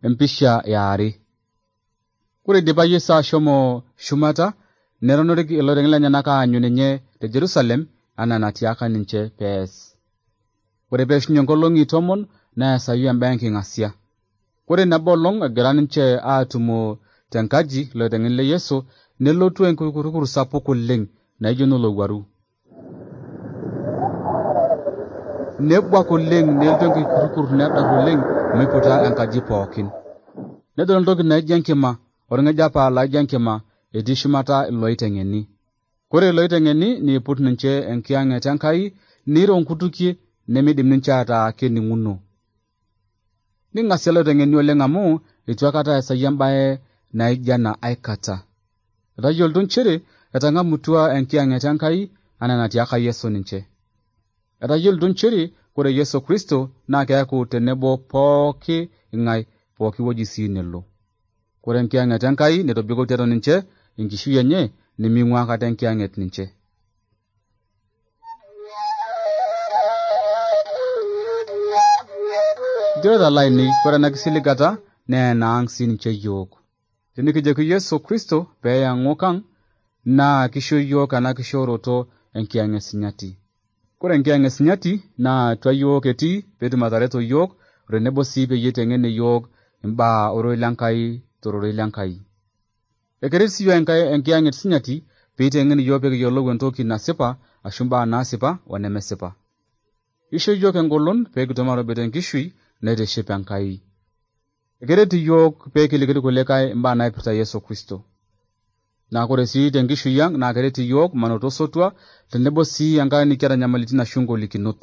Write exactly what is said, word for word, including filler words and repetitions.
empisha yaare. Kore dipa Yesu ashomo shumata neronoreki iloreng lenyenak aanyu ninye te Jerusalem anaa natiaka ninche pees. Kore peishunye nkolong'i tomon neesayu embaye enking'asia. Kore nabo olong' egira ninche aatumo tenkaji loiteng'eni le Yesu nelotu enkurukur sapuk oleng naijo nolowuaru. Nebwak oleng nelotu enkurukur nedar oleng miputa enkaji pookin. Nedol entoki naijo enkima orng'ejapa laijo enkima etii shumata iloiteng'eni. Kore iloiteng'eni niiput ninche enkiyang'et Enkai niro nkutukie nemidim ninche ataa kening'uno. Ning'asia iloiteng'eni oleng amu eitu aikata esayie embaye naijo ena aikata. Etayiolito nchere etang'amutua enkiyang'et Enkai anaa natiaka Yesu ninche. Etayiolito nchere kore Yesu Kristo naa keeku tenebo pooki ing'ai pooki wueji sii nelo. Kore enkiyang'et Enkai netobiko tiatua ninche enkishui enye neming'ua aikata enkiyang'et ninche. Nchoreta lainei, kore ena kisiligata naa enaang' sii ninche yiok. Tenikijoki Yesu Kristo peeyang'u kang' naa kisho yiok ena kishooroto enkiyang'et sinyati. Kore enkiyang'et sinyati naa atua yiok etii peetum atareto yiok tenebo sii peyie eiteng'en yiok imbaa ororei lenkai tororei lenkai. Ekeret sii yiok enkiyang'et sinyati peiteng'en yiok pekiyiolou entoki nasipa ashu mbaa naasipa onemesipa. Isho yiok engolon peekitum aatobik enkishui naitiship Enkai. Ekeret yiok peekiliki irkulikae imbaa naipirta Yesu Kristo. Naa kore sii tenkishui ang' naa keret yiok manoto osotua tenebo sii enkata nikiata nyamalitin ashu ngolikinot.